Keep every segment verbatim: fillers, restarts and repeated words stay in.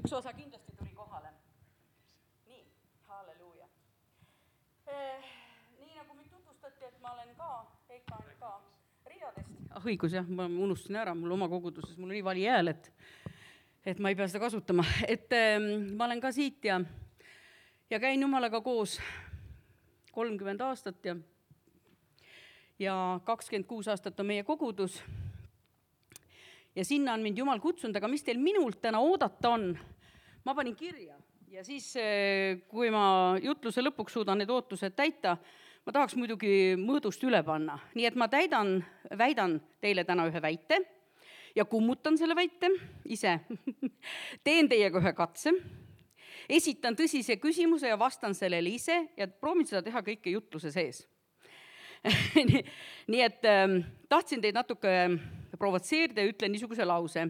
üks osa kindlasti tuli kohale. Nii, halleluuja. Eh, nii nagu mind tutvustati, et ma olen ka E K N K ridadest. Ah, õigus jah, ma unustasin ära, mul oma koguduses, mul on nii vali hääl, et, et ma ei pea seda kasutama. Et eh, ma olen ka siit ja, ja käin Jumalaga koos kolmkümmend aastat ja, ja kakskümmend kuus aastat on meie kogudus. Ja sinna on mind Jumal kutsunud, aga mis teil minult täna oodata on? Ma panin kirja ja siis, kui ma jutluse lõpuks suudan need ootused täita, ma tahaks muidugi mõõdust üle panna. Nii et ma täidan, väidan teile täna ühe väite ja kummutan selle väite ise. Teen teiega ühe katse, esitan tõsise küsimuse ja vastan sellele ise ja proovin seda teha kõike jutluse sees. Nii et ähm, tahtsin teid natuke provotseerida ja ütlen niisuguse lause.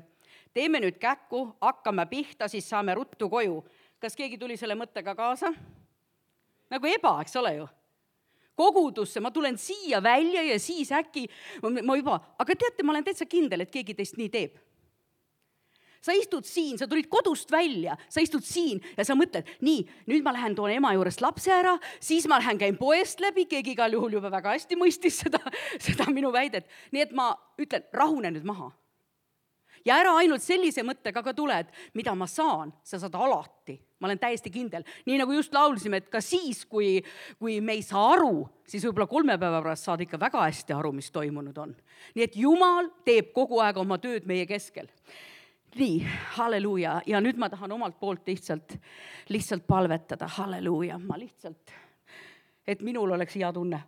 Teeme nüüd käkku, hakkame pihta, siis saame ruttu koju. Kas keegi tuli selle mõttega kaasa? Nagu eba, eks ole ju. Kogudusse, ma tulen siia välja ja siis äkki, ma juba, aga teate, ma olen täitsa kindel, et keegi teist nii teeb. Sa istud siin, sa tulid kodust välja, sa istud siin ja sa mõtled, nii, nüüd ma lähen toon ema juurest lapse ära, siis ma lähen käin poest läbi, keegi igal juhul juba väga hästi mõistis seda, seda minu väidet. Nii et ma ütlen, rahune nüüd maha. Ja ära ainult sellise mõttega ka tuled, mida ma saan, sa saad alati. Ma olen täiesti kindel. Nii nagu just laulsime, et ka siis, kui, kui me ei saa aru, siis võib-olla kolme päeva pärast saad ikka väga hästi aru, mis toimunud on. Nii et Jumal teeb kogu aeg oma tööd meie keskel. Nii, halleluuja. Ja nüüd ma tahan omalt poolt lihtsalt, lihtsalt palvetada. Halleluuja. Ma lihtsalt, et minul oleks hea tunne.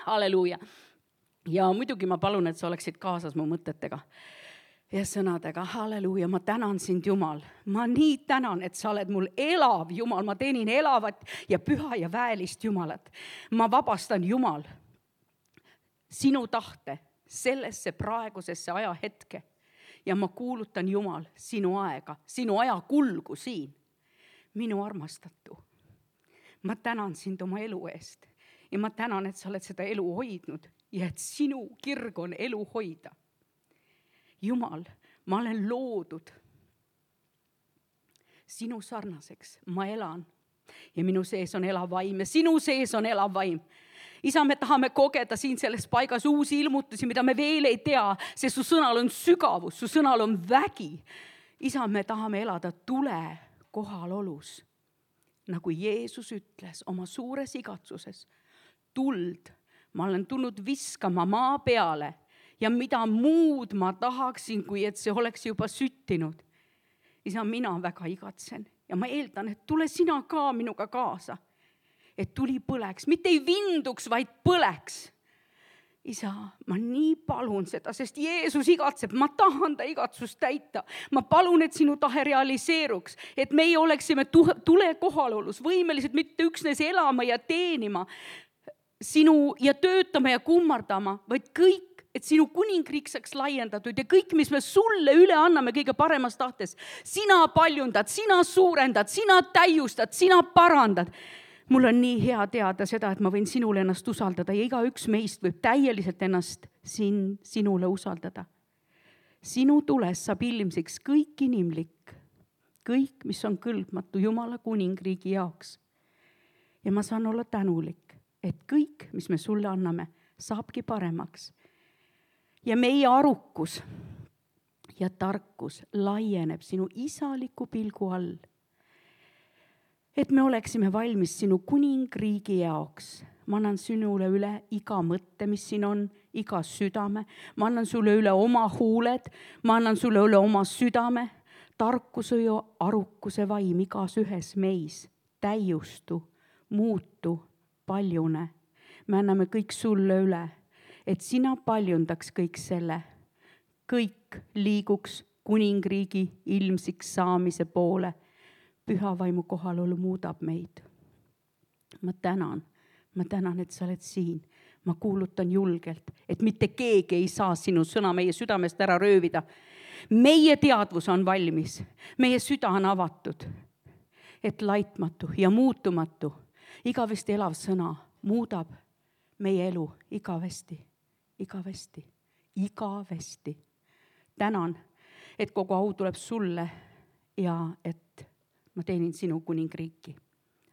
Halleluuja. Ja muidugi ma palun, et sa oleksid kaasas mu mõtetega ja sõnadega. Halleluuja. Ma tänan sind, Jumal. Ma nii tänan, et sa oled mul elav, Jumal. Ma teenin elavat ja püha ja väelist Jumalat. Ma vabastan, Jumal, sinu tahte sellesse praegusesse ajahetke ja ma kuulutan, Jumal, sinu aega, sinu aja kulgu siin. Minu armastatu. Ma tänan sind oma elu eest ja ma tänan, et sa oled seda elu hoidnud ja et sinu kirg on elu hoida. Jumal, ma olen loodud sinu sarnaseks. Ma elan ja minu sees on elav vaim ja sinu sees on elav vaim. Isa, me tahame kogeda siin selles paigas uusi ilmutusi, mida me veel ei tea, sest su sõnal on sügavus, su sõnal on vägi. Isa, me tahame elada tule kohalolus, nagu Jeesus ütles oma suures igatsuses. Tuld, ma olen tulnud viskama maa peale ja mida muud ma tahaksin, kui et see oleks juba süttinud. Isa, mina väga igatsen ja ma eeldan, et tule sina ka minuga kaasa. Et tuli põleks, mitte ei vinduks, vaid põleks. Isa, ma nii palun seda, sest Jeesus igatseb, ma tahan ta igatsust täita. Ma palun, et sinu tahe realiseeruks, et meie oleksime tule kohalolus, võimelised mitte üksnes elama ja teenima sinu ja töötama ja kummardama, vaid kõik, et sinu kuningriik saaks laiendatud ja kõik, mis me sulle üle anname kõige paremas tahtes. Sina paljundad, sina suurendad, sina täiustad, sina parandad. Mul on nii hea teada seda, et ma võin sinule ennast usaldada ja iga üks meist võib täieliselt ennast sin, sinule usaldada. Sinu tules saab ilmsiks kõik inimlik, kõik, mis on kõlbmatu Jumala kuningriigi jaoks. Ja ma saan olla tänulik, et kõik, mis me sulle anname, saabki paremaks. Ja meie arukus ja tarkus laieneb sinu isaliku pilgu all. Et me oleksime valmis sinu kuningriigi jaoks. Ma annan sinule üle iga mõtte, mis siin on, iga südame. Ma annan sulle üle oma huuled, ma annan sulle üle oma südame. Tarkuse ja arukuse vaim igas ühes meis. Täiustu, muutu, paljune. Me anname kõik sulle üle, et sina paljundaks kõik selle. Kõik liiguks kuningriigi ilmsiks saamise poole. Püha vaimu kohalolu muudab meid. Ma tänan, ma tänan, et sa oled siin. Ma kuulutan julgelt, et mitte keegi ei saa sinu sõna meie südamest ära röövida. Meie teadvus on valmis, meie süda on avatud, et laitmatu ja muutumatu, igavesti elav sõna muudab meie elu igavesti, igavesti, igavesti. Tänan, et kogu au tuleb sulle ja et ma teenin sinu kuningriiki.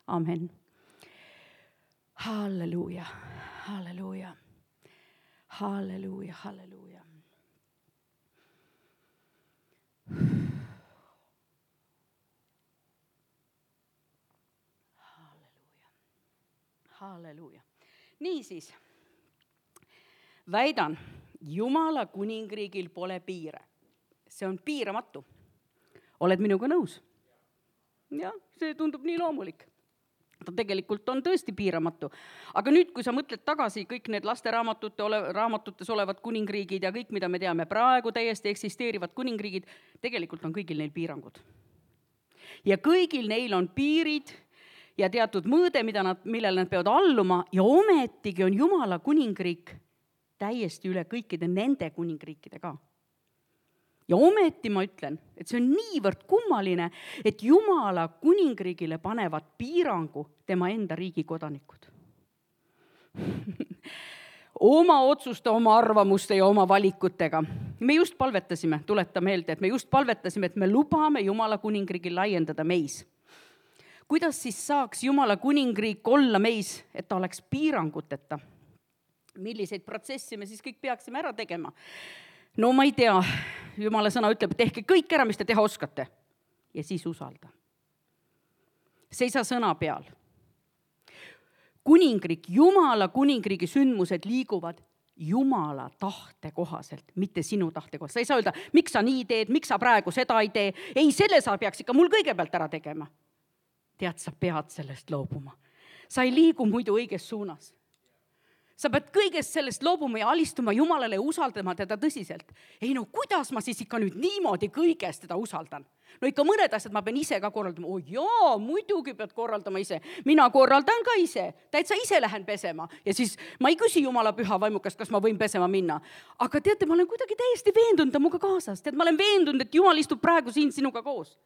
Amen. Halleluuja, halleluuja, halleluuja, halleluuja. Halleluuja, halleluuja. Niisiis, väidan, Jumala kuningriigil pole piire. See on piiramatu. Oled minuga nõus? Jah, see tundub nii loomulik. Ta tegelikult on tõesti piiramatu. Aga nüüd, kui sa mõtled tagasi kõik need lasteraamatute ole, raamatutes olevad kuningriigid ja kõik, mida me teame praegu täiesti eksisteerivad kuningriigid, tegelikult on kõigil neil piirangud. Ja kõigil neil on piirid ja teatud mõõde, mida nad, millele nad peavad alluma ja ometigi on Jumala kuningriik täiesti üle kõikide nende kuningriikide ka. Ja ometi ma ütlen, et see on niivõrd kummaline, et Jumala kuningriigile panevad piirangu tema enda riigi kodanikud. Oma otsuste, oma arvamuste ja oma valikutega. Me just palvetasime, tuleta meelde, et me just palvetasime, et me lubame Jumala kuningriigil laiendada meis. Kuidas siis saaks Jumala kuningriik olla meis, et ta oleks piiranguteta? Milliseid protsessi me siis kõik peaksime ära tegema? No ma ei tea, Jumala sõna ütleb, et tehke kõik ära, mis te teha oskate. Ja siis usalda. Seisa sõna peal. Kuningriik, Jumala kuningriigi sündmused liiguvad Jumala tahte kohaselt, mitte sinu tahte kohaselt. Sa ei saa öelda, miks sa nii teed, miks sa praegu seda ei tee. Ei, selle sa peaks ikka mul kõigepealt ära tegema. Tead, sa pead sellest loobuma. Sa ei liigu muidu õiges suunas. Sa pead kõigest sellest loobuma ja alistuma Jumalale ja usaldama teda tõsiselt. Ei no, kuidas ma siis ikka nüüd niimoodi kõigest teda usaldan? No ikka mõned asjad ma pean ise ka korraldama. Oh jaa, muidugi pead korraldama ise. Mina korraldan ka ise. Täitsa ise lähen pesema. Ja siis ma ei küsi Jumala püha vaimukast, kas ma võin pesema minna. Aga teate, ma olen kuidagi täiesti veendunud muga kaasas. Tead, ma olen veendunud, et Jumal istub praegu siin sinuga koos.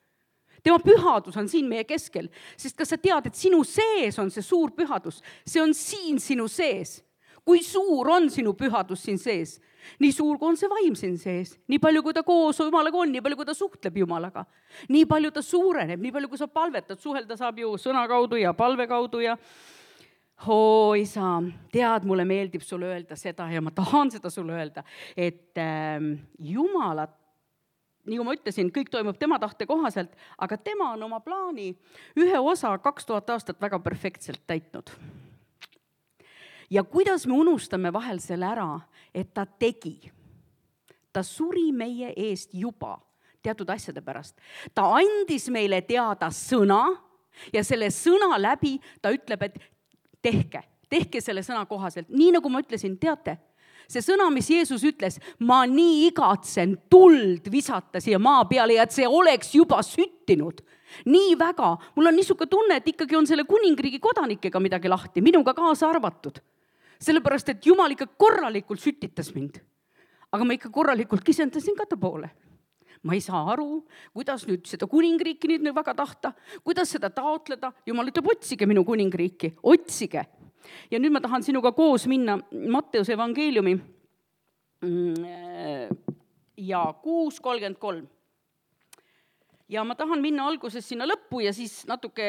Tema pühadus on siin meie keskel. Sest kas sa tead, et sinu sees on see suur pühadus? See on siin sinu sees. Kui suur on sinu pühadus siin sees? Nii suur, kui on see vaim siin sees. Nii palju, kui ta koos Jumalaga on, nii palju, kui ta suhtleb Jumalaga. Nii palju ta suureneb, nii palju, kui sa palvetad. Suhelda saab ju sõna kaudu ja palve kaudu ja oo, isa, tead, mulle meeldib sulle öelda seda ja ma tahan seda sulle öelda, et äh, Jumalat, nii kui ma ütlesin, kõik toimub tema tahte kohaselt, aga tema on oma plaani ühe osa kaks tuhat aastat väga perfektselt täitnud. Ja kuidas me unustame vahel selle ära, et ta tegi. Ta suri meie eest juba teatud asjade pärast. Ta andis meile teada sõna ja selle sõna läbi ta ütleb, et tehke, tehke selle sõna kohaselt. Nii nagu ma ütlesin, teate, see sõna, mis Jeesus ütles, ma nii igatsen tuld visata siia maa peale ja et see oleks juba süttinud. Nii väga. Mul on niisugune tunne, et ikkagi on selle kuningriigi kodanikega midagi lahti, minuga kaasa arvatud. Sellepärast, et Jumal ikka korralikult sütitas mind. Aga ma ikka korralikult kisendasin ka ta poole. Ma ei saa aru, kuidas nüüd seda kuningriiki nüüd väga tahta, kuidas seda taotleda. Jumal ütleb, otsige minu kuningriiki, otsige. Ja nüüd ma tahan sinuga koos minna Matteuse evangeeliumi ja kuus kolmkümmend kolm. Ja ma tahan minna alguses sinna lõppu ja siis natuke,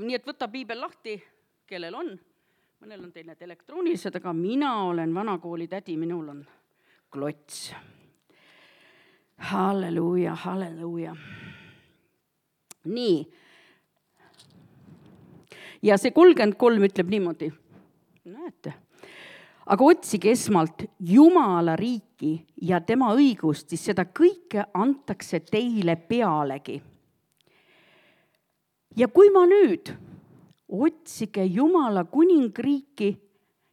nii et võta piibel lahti, kellel on. Mõnel on teil need elektroonilised, aga mina olen vanakooli tädi, minul on klots. Halleluuja, halleluuja. Nii. Ja see kolmkümmend kolm ütleb niimoodi. Näete. Aga otsige esmalt Jumala riiki ja tema õigust, siis seda kõike antakse teile pealegi. Ja kui ma nüüd otsige Jumala kuningriiki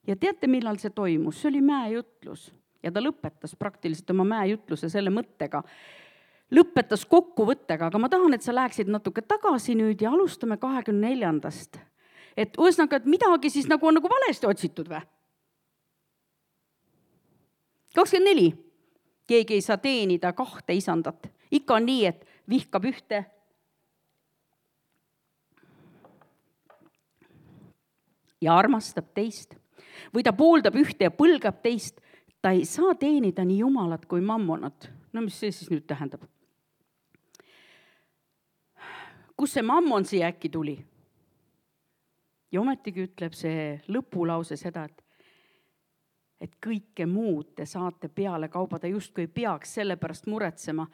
ja teate, millal see toimus? See oli mäejutlus ja ta lõpetas praktiliselt oma mäejutluse selle mõttega. Lõpetas kokkuvõttega, aga ma tahan, et sa läheksid natuke tagasi nüüd ja alustame kahekümne neljandast. Et ühesõnaga, et midagi siis nagu on nagu valesti otsitud või? kakskümmend neli. Keegi ei saa teenida kahte isandat. Ikka on nii, et vihkab ühte ja armastab teist. Või ta pooldab ühte ja põlgab teist. Ta ei saa teenida nii Jumalat kui mammonat. No mis see siis nüüd tähendab? kus see mammon siia äkki tuli? Ja ometigi ütleb see lõpulause seda, et, et kõike muud te saate peale kaubada, justkui ei peaks sellepärast muretsema.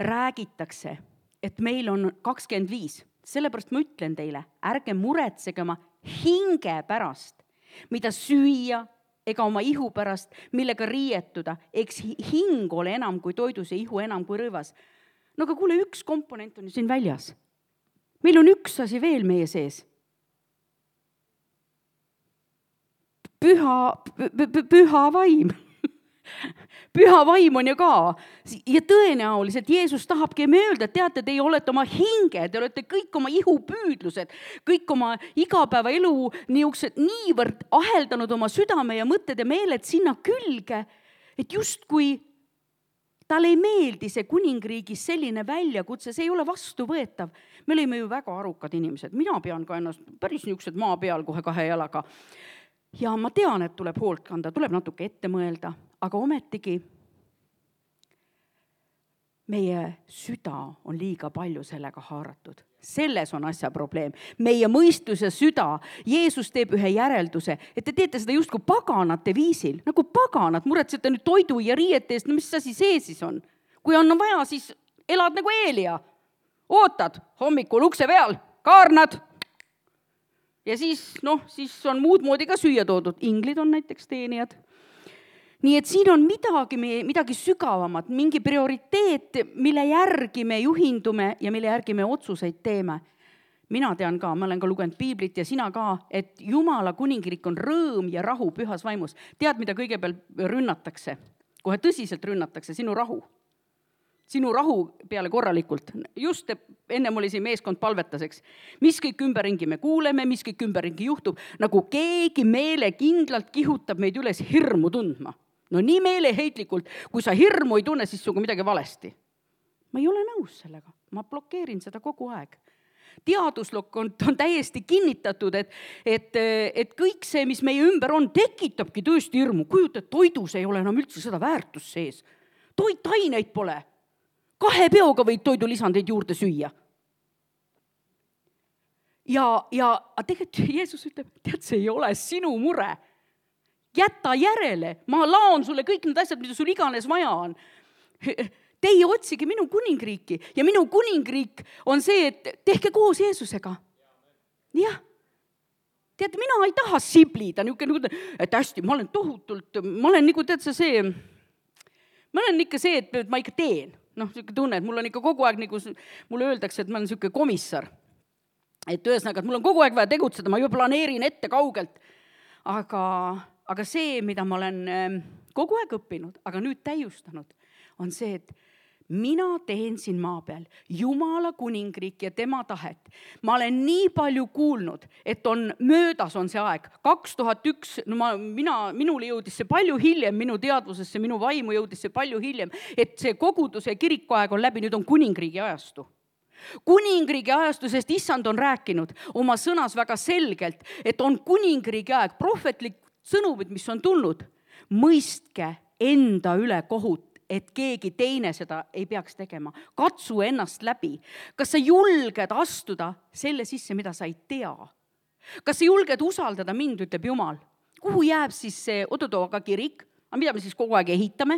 Räägitakse, et meil on kakskümmend viis. Sellepärast ma ütlen teile, ärge muretsege oma hinge pärast, mida süüa ega oma ihu pärast, millega riietuda. Eks hing ole enam kui toidus ja ihu enam kui rõivas. No aga kuule, üks komponent on ju siin väljas. Meil on üks asi veel meie sees. Püha, püha vaim. Püha vaim on ju ka. Ja tõenäoliselt Jeesus tahabki me öelda, et teate, te olete oma hinge, te olete kõik oma ihupüüdlused, kõik oma igapäeva elu niisugused niivõrd aheldanud oma südame ja mõtted ja meeled sinna külge, et justkui tal ei meeldi see kuningriigis selline väljakutse, see ei ole vastuvõetav. Me olime ju väga arukad inimesed. Mina pean ka ennast päris niisugused maa peal kohe kahe jalaga. Ja ma tean, et tuleb hoolt kanda, tuleb natuke ette mõelda, aga ometigi meie süda on liiga palju sellega haaratud. Selles on asja probleem. Meie mõistus ja süda, Jeesus teeb ühe järelduse, et te teete seda justkui paganate viisil, nagu paganad, muretsete nüüd toidu ja riiete eest, no mis asi see siis on? Kui on vaja, siis elad nagu Eelia. Ootad hommikul ukse peal, kaarnad. Ja siis, noh, siis on muud moodi ka süüa toodud. Inglid on näiteks teenijad. Nii et siin on midagi, midagi sügavamat, mingi prioriteet, mille järgi me juhindume ja mille järgi me otsuseid teeme. Mina tean ka, ma olen ka lugenud piiblit ja sina ka, et Jumala kuningriik on rõõm ja rahu pühas vaimus. Tead, mida kõigepealt rünnatakse? Kohe tõsiselt rünnatakse, sinu rahu. Sinu rahu peale korralikult. Just ennem oli siin meeskond palvetaseks. Mis kõik ümberringi me kuuleme, mis kõik ümberringi juhtub, nagu keegi meele kindlalt kihutab meid üles hirmu tundma. No nii meeleheitlikult, kui sa hirmu ei tunne, siis sugu midagi valesti. Ma ei ole nõus sellega. Ma blokeerin seda kogu aeg. Teaduslok on, on täiesti kinnitatud, et, et, et kõik see, mis meie ümber on, tekitabki tõesti hirmu. Kujuta, et toidus ei ole enam üldse seda väärtust sees. Toitaineid pole. Kahe peoga võid toidulisandeid juurde süüa. Ja, ja tegelikult Jeesus ütleb, tead, see ei ole sinu mure. Jäta järele, ma laon sulle kõik need asjad, mida sul iganes vaja on. Teie otsige minu kuningriiki ja minu kuningriik on see, et tehke koos Jeesusega. Jah. Tead, mina ei taha siblida, et hästi, ma olen tohutult, ma olen nagu, tead sa see, ma olen ikka see, et ma ikka teen. Noh, tunne, et mul on ikka kogu aeg, nagu mulle öeldakse, et ma olen niisugune komissar. Et ühesõnaga, et mul on kogu aeg vaja tegutseda, ma juba planeerin ette kaugelt. Aga, aga see, mida ma olen kogu aeg õppinud, aga nüüd täiustanud, on see, et mina teen siin maa peal Jumala kuningriik ja tema tahet. Ma olen nii palju kuulnud, et on möödas on see aeg. kaks tuhat üks, no ma, mina, minule jõudis see palju hiljem, minu teadvusesse, minu vaimu jõudis see palju hiljem, et see koguduse kirikuaeg on läbi, nüüd on kuningriigi ajastu. Kuningriigi ajastu, sest issand on rääkinud oma sõnas väga selgelt, et on kuningriigi aeg, prohvetlik sõnumid, mis on tulnud. Mõistke enda üle kohut, et keegi teine seda ei peaks tegema. Katsu ennast läbi. Kas sa julged astuda selle sisse, mida sa ei tea? Kas sa julged usaldada mind, ütleb Jumal? Kuhu jääb siis see Odotooga kirik? Aga mida me siis kogu aeg ehitame?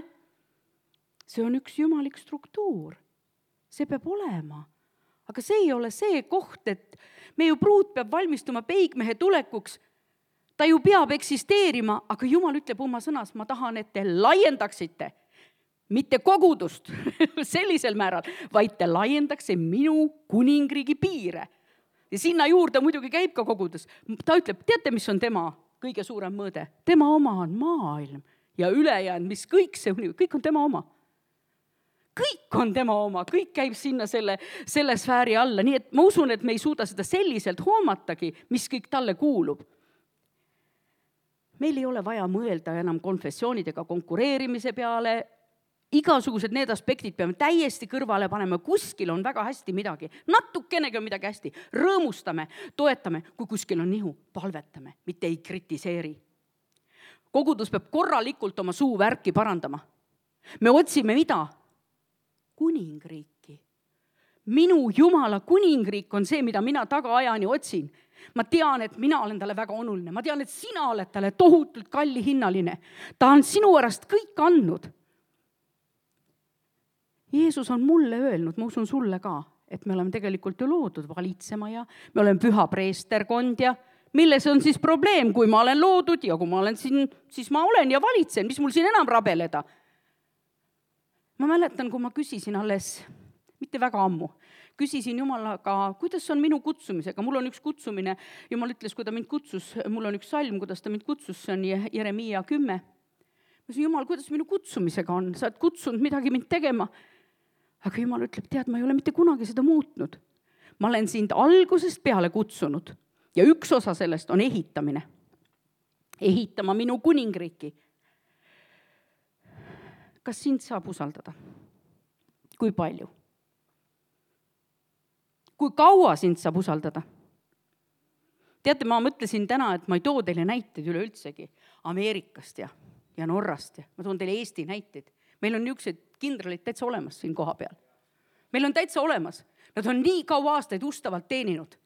See on üks jumalik struktuur. See peab olema. Aga see ei ole see koht, et meie pruut peab valmistuma peigmehe tulekuks. Ta ju peab eksisteerima, aga Jumal ütleb oma sõnas, ma tahan, et te laiendaksite. Mitte kogudust sellisel määral, vaid te laiendakse minu kuningriigi piire. Ja sinna juurde muidugi käib ka kogudus. Ta ütleb, teate, mis on tema kõige suurem mõõde? Tema oma on maailm ja ülejäänud, mis kõik see, kõik on tema oma. Kõik on tema oma, kõik käib sinna selle, selle sfääri alla. Nii et ma usun, et me ei suuda seda selliselt hoomatagi, mis kõik talle kuulub. Meil ei ole vaja mõelda enam konfessioonidega konkureerimise peale. Igasugused need aspektid peame täiesti kõrvale panema, kuskil on väga hästi midagi, natukenegi on midagi hästi, rõõmustame, toetame, kui kuskil on nihu, palvetame, mitte ei kritiseeri. Kogudus peab korralikult oma suu värki parandama. Me otsime mida? Kuningriiki. minu Jumala kuningriik on see, mida mina tagaajani otsin. Ma tean, et mina olen talle väga oluline. Ma tean, et sina oled talle tohutult kalli hinnaline. Ta on sinu pärast kõik andnud. Jeesus on mulle öelnud, ma usun sulle ka, et me oleme tegelikult ju loodud valitsema ja me oleme püha preesterkond ja milles on siis probleem, kui ma olen loodud ja kui ma olen siin, siis ma olen ja valitsen, mis mul siin enam rabeleda. Ma mäletan, kui ma küsisin alles, mitte väga ammu, küsisin Jumalaga, kuidas on minu kutsumisega. Mul on üks kutsumine, Jumal ütles, kui ta mind kutsus, mul on üks salm, kuidas ta mind kutsus, see on Jeremiia kümme. Ma ütlesin, Jumal, kuidas minu kutsumisega on? Sa oled kutsunud midagi mind tegema. Aga Jumal ütleb, tead, ma ei ole mitte kunagi seda muutnud. Ma olen sind algusest peale kutsunud ja üks osa sellest on ehitamine. Ehitama minu kuningriiki. Kas sind saab usaldada? Kui palju? Kui kaua sind saab usaldada? Teate, ma mõtlesin täna, et ma ei too teile näiteid üleüldsegi Ameerikast ja, ja Norrast ja ma toon teile Eesti näiteid. Meil on niisugused kindralid täitsa olemas siin koha peal. Meil on täitsa olemas. Nad on nii kaua aastaid ustavalt teeninud.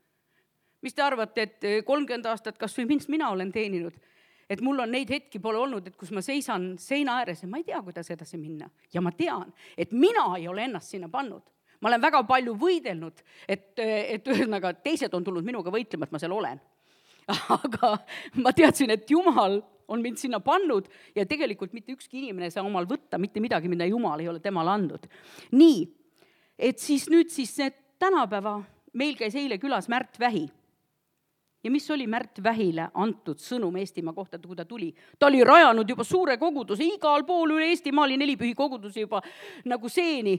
Mis te arvate, et kolmkümmend aastat kas või minst mina olen teeninud? Et mul on neid hetki pole olnud, et kus ma seisan seina ääres ja ma ei tea, kuidas edasi minna. Ja ma tean, et mina ei ole ennast sinna pannud. Ma olen väga palju võidelnud, et, et ühesõnaga teised on tulnud minuga võitlema, et ma seal olen. Aga ma teadsin, et Jumal on mind sinna pannud ja tegelikult mitte ükski inimene saa omal võtta mitte midagi, mida Jumal ei ole temale andnud. Nii, et siis nüüd siis tänapäeva meil käis eile külas Märt Vähi. Ja mis oli Märt Vähile antud sõnum Eestimaa kohta, kui ta tuli? Ta oli rajanud juba suure koguduse, igal pool üle Eestimaa oli nelipühi kogudusi juba nagu seeni.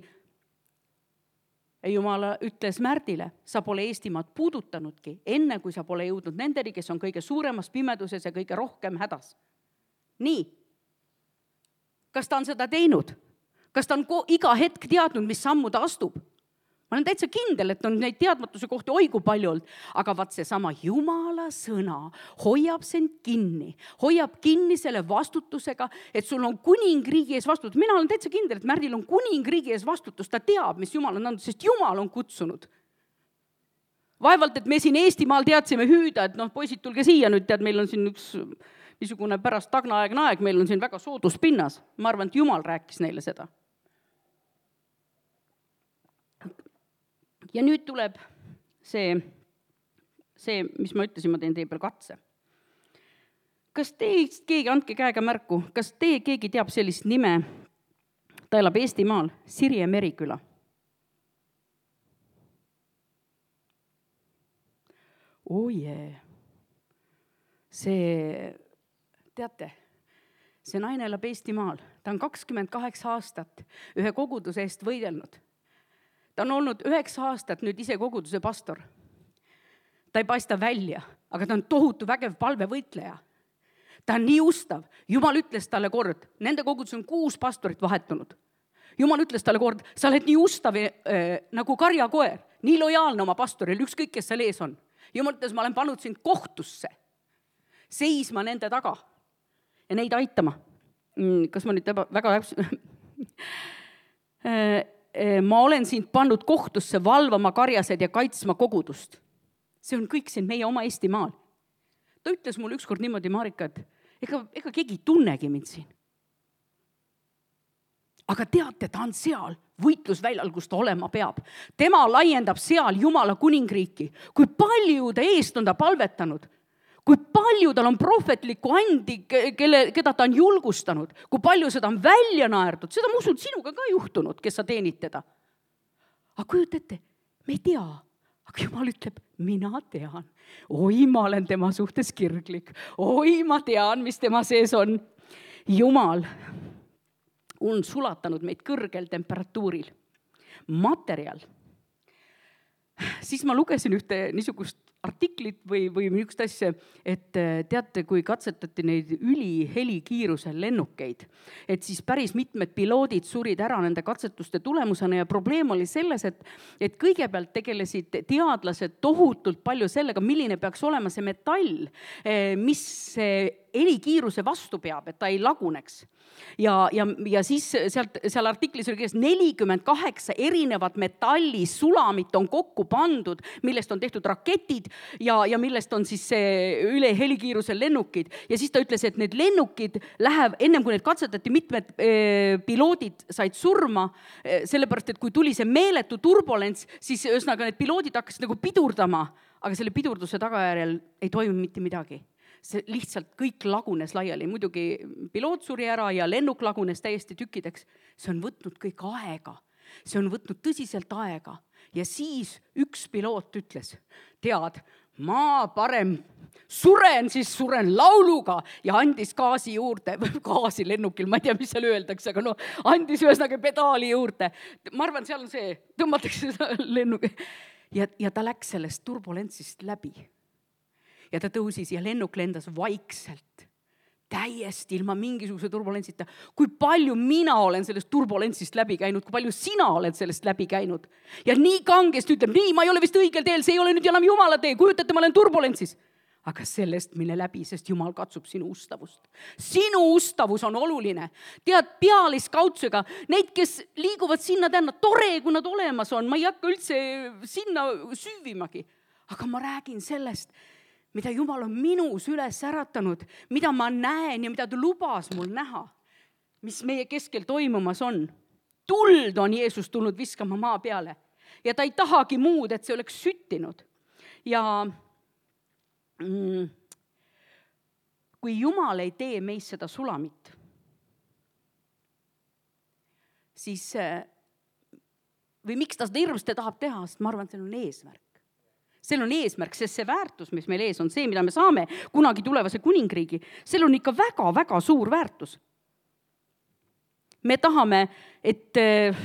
Ja Jumal ütles Märdile, sa pole Eestimaad puudutanudki, enne kui sa pole jõudnud nendeni, kes on kõige suuremas pimeduses ja kõige rohkem hädas. Nii, kas ta on seda teinud? Kas ta on ko- iga hetk teadnud, mis sammu ta astub? Ma olen täitsa kindel, et on neid teadmatuse kohti oigu palju olnud, aga vaat see sama Jumala sõna hoiab sind kinni, hoiab kinni selle vastutusega, et sul on kuningriigi ees vastutus. Mina olen täitsa kindel, et Märdil on kuningriigi ees vastutus, ta teab, mis Jumal on andnud, sest Jumal on kutsunud. Vaevalt, et me siin Eestimaal teadsime hüüda, et noh, poisid, tulge siia nüüd, tead, meil on siin üks niisugune pärast tagnaaegne aeg, meil on siin väga soodus pinnas. Ma arvan, et Jumal rääkis neile seda. Ja nüüd tuleb see, see, mis ma ütlesin, ma teen teie peal katse. Kas teist keegi, andke käega märku, kas teie keegi teab sellist nime, ta elab Eestimaal, Sirje Meriküla? Oh jee, see, teate, see naine elab Eestimaal, ta on kakskümmend kaheksa aastat ühe koguduse eest võidelnud. Ta on olnud üheksa aastat nüüd ise koguduse pastor. Ta ei paista välja, aga ta on tohutu vägev palvevõitleja. Ta on nii ustav. Jumal ütles talle kord, nende kogudus on kuus pastorit vahetunud. Jumal ütles talle kord, sa oled nii ustav äh, nagu karjakoer, nii lojaalne oma pastoril, ükskõik, kes seal ees on. Jumal ütles, ma olen pannud sind kohtusse, seisma nende taga ja neid aitama. Kas ma nüüd väga ma olen sind pannud kohtusse valvama karjased ja kaitsma kogudust. See on kõik siin meie oma Eestimaal. Ta ütles mulle ükskord niimoodi, Marika, et ega, ega keegi tunnegi mind siin. Aga teate, ta on seal võitlusväljal, kus ta olema peab. Tema laiendab seal Jumala kuningriiki. Kui palju ta eest on ta palvetanud, kui palju tal on prohvetlikku andi, kelle, keda ta on julgustanud, kui palju seda on välja naerdud, seda ma usun sinuga ka juhtunud, kes sa teenid teda. Aga kujutate, me ei tea, aga Jumal ütleb, mina tean, oi, ma olen tema suhtes kirglik, oi, ma tean, mis tema sees on. Jumal on sulatanud meid kõrgel temperatuuril. Materjal. Siis ma lugesin ühte niisugust artiklit või, või niisugust asja, et teate, kui katsetati neid ülihelikiirusel lennukeid, et siis päris mitmed piloodid surid ära nende katsetuste tulemusena ja probleem oli selles, et, et kõigepealt tegelesid teadlased tohutult palju sellega, milline peaks olema see metall, mis helikiiruse vastu peab, et ta ei laguneks. Ja, ja, ja siis sealt, seal artiklis oli kirjas nelikümmend kaheksa erinevat metallisulamit on kokku pandud, millest on tehtud raketid ja, ja millest on siis see üle helikiirusel lennukid. Ja siis ta ütles, et need lennukid läheb, ennem kui need katsetati, mitmed e, piloodid said surma, e, sellepärast, et kui tuli see meeletu turbulents, siis ühesõnaga need piloodid hakkasid nagu pidurdama, aga selle pidurduse tagajärjel ei toimu mitte midagi. See lihtsalt kõik lagunes laiali, muidugi piloot suri ära ja lennuk lagunes täiesti tükkideks. See on võtnud kõik aega, see on võtnud tõsiselt aega ja siis üks piloot ütles, tead, ma parem suren, siis suren lauluga ja andis gaasi juurde, gaasi lennukil, ma ei tea, mis seal öeldakse, aga no andis ühesõnaga pedaali juurde. Ma arvan, seal on see, tõmmatakse lennuk ja, ja ta läks sellest turbulentsist läbi. Ja ta tõusis ja lennuk lendas vaikselt, täiesti ilma mingisuguse turbulentsita. Kui palju mina olen sellest turbulentsist läbi käinud, kui palju sina oled sellest läbi käinud. Ja nii kangest ütleb, nii, ma ei ole vist õigel teel, see ei ole nüüd enam Jumala tee, kujutate, ma olen turbulentsis. Aga sellest mine läbi, sest Jumal katsub sinu ustavust. Sinu ustavus on oluline. Tead, pealiskaudsega, neid, kes liiguvad sinna tänna, tore, kui nad olemas on, ma ei hakka üldse sinna süüvimagi. Aga ma räägin sellest, mida Jumal on minus üles äratanud, mida ma näen ja mida ta lubas mul näha, mis meie keskel toimumas on. Tuld on Jeesus tulnud viskama maa peale ja ta ei tahagi muud, et see oleks süttinud. Ja mm, kui Jumal ei tee meis seda sulamit, siis või miks ta seda hirmust tahab teha, sest ma arvan, et see on eesmärk. Seal on eesmärk, sest see väärtus, mis meil ees on, see, mida me saame kunagi tulevase kuningriigi, seal on ikka väga-väga suur väärtus. Me tahame, et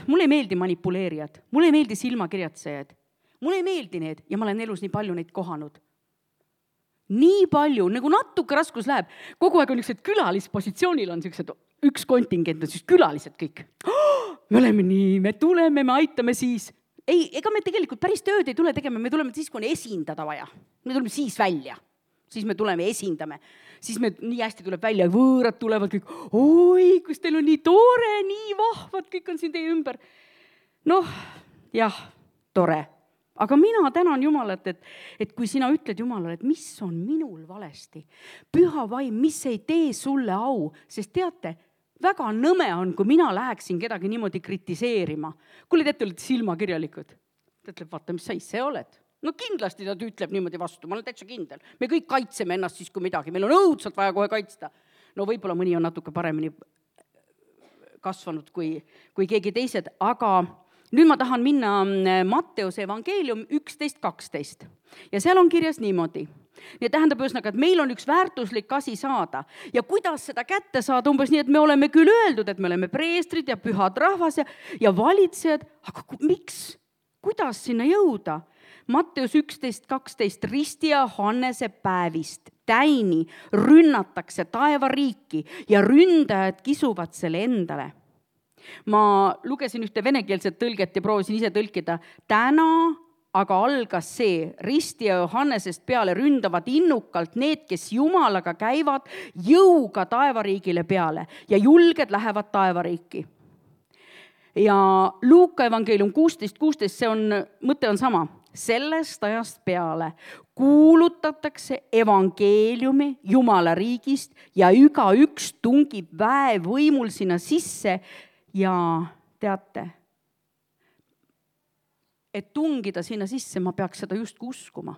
mulle ei meeldi manipuleerijad, mulle ei meeldi silmakirjatsejad, mulle ei meeldi need ja ma olen elus nii palju neid kohanud. Nii palju, nagu natuke raskus läheb, kogu aeg on niisugused külalispositsioonil on niisugused, üks kontingent on siis külalised kõik. Oh, me oleme nii, me tuleme, me aitame siis. Ei, ega me tegelikult päris tööd ei tule tegema, me tuleme siis, kui on esindada vaja. Me tuleme siis välja, siis me tuleme esindame. Siis me nii hästi tuleb välja, võõrad tulevad kõik, oi, kus teil on nii tore, nii vahvad, kõik on siin teie ümber. Noh, jah, tore. Aga mina tänan Jumalat, et, et kui sina ütled Jumalale, et mis on minul valesti, püha vaim, mis ei tee sulle au, sest teate, väga nõme on, kui mina läheksin kedagi niimoodi kritiseerima. Kuule, te olete silmakirjalikud. Ta ütleb, vaata, mis sa ise oled. No kindlasti ta ütleb niimoodi vastu, ma olen täitsa kindel. Me kõik kaitseme ennast siis, kui midagi. Meil on õudselt vaja kohe kaitsta. No võib-olla mõni on natuke paremini kasvanud kui, kui keegi teised, aga nüüd ma tahan minna Matteuse evangeelium üksteist kaksteist. Ja seal on kirjas niimoodi. Ja tähendab ühesõnaga, et meil on üks väärtuslik asi saada. Ja kuidas seda kätte saada, umbes nii, et me oleme küll öeldud, et me oleme preestrid ja pühad rahvas ja, ja valitsejad, aga miks? Kuidas sinna jõuda? Matteus üksteist kaksteist, Risti ja Johannese päevist täini rünnatakse taevariiki ja ründajad kisuvad selle endale. Ma lugesin ühte venekeelset tõlget ja proovisin ise tõlkida. Täna aga algas see, Risti ja Johannesest peale ründavad innukalt need, kes Jumalaga käivad jõuga taevariigile peale ja julged lähevad taevariiki. Ja Luuka evangeelium kuusteist kuusteist, see on, mõte on sama. Sellest ajast peale kuulutatakse evangeeliumi Jumala riigist ja iga üks tungib väevõimul sinna sisse ja teate, et tungida sinna sisse, ma peaks seda just uskuma.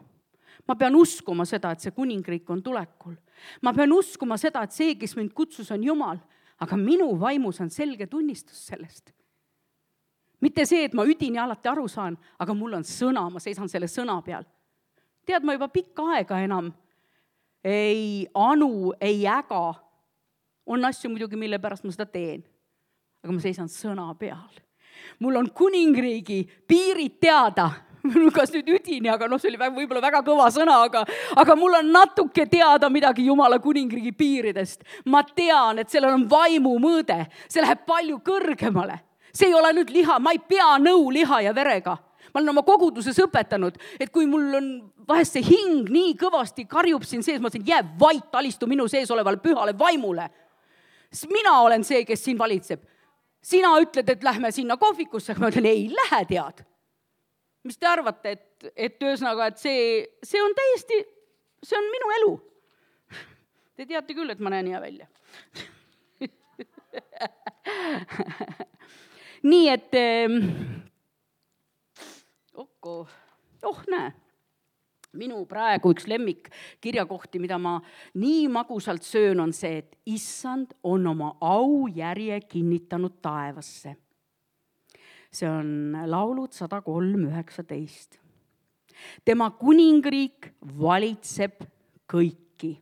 Ma pean uskuma seda, et see kuningriik on tulekul. Ma pean uskuma seda, et see, kes mind kutsus, on Jumal, aga minu vaimus on selge tunnistus sellest. Mitte see, et ma üdini alati aru saan, aga mul on sõna, ma seisan selle sõna peal. Tead, ma juba pikka aega enam ei anu, ei äga. On asju muidugi, mille pärast ma seda teen, aga ma seisan sõna peal. Mul on kuningriigi piirid teada, kas nüüd üdini, aga noh, see oli väga, võib-olla väga kõva sõna, aga, aga mul on natuke teada midagi Jumala kuningriigi piiridest. Ma tean, et sellel on vaimu mõõde, see läheb palju kõrgemale. See ei ole nüüd liha, ma ei pea nõu liha ja verega. Ma olen oma koguduses õpetanud, et kui mul on vahest see hing nii kõvasti karjub siin sees, ma ütlen, jää vait, alistu minu sees olevale pühale vaimule. Mina olen see, kes siin valitseb. Sina ütled, et lähme sinna kohvikusse, ma ütlen, ei lähe tead. Mis te arvate, et, et ühesõnaga, et see, see on täiesti, see on minu elu. Te teate küll, et ma näen hea välja. Nii et, okko, oh näe, minu praegu üks lemmik kirjakohti, mida ma nii magusalt söön, on see, et issand on oma au järje kinnitanud taevasse. See on laulud sada kolm üheksateist. Tema kuningriik valitseb kõiki.